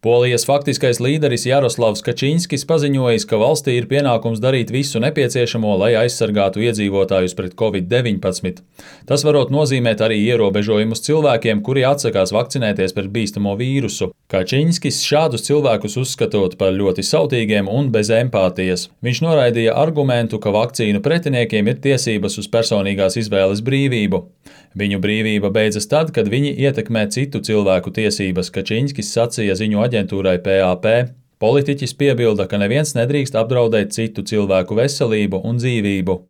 Polijas faktiskais līderis Jaroslavs Kačinskis paziņojis, ka valstī ir pienākums darīt visu nepieciešamo, lai aizsargātu iedzīvotājus pret Covid-19. Tas varot nozīmēt arī ierobežojumus cilvēkiem, kuri atsakās vakcinēties pret bīstamo vīrusu. Kačinskis šādus cilvēkus uzskatot par ļoti sautīgiem un bez empātijas. Viņš noraidīja argumentu, ka vakcīnu pretiniekiem ir tiesības uz personīgās izvēles brīvību. Viņu brīvība beidzas tad, kad viņi ietekmē citu cilvēku tiesības, Kačinskis sacīja ziņu aģentūrai PAP. Politiķis piebilda, ka neviens nedrīkst apdraudēt citu cilvēku veselību un dzīvību.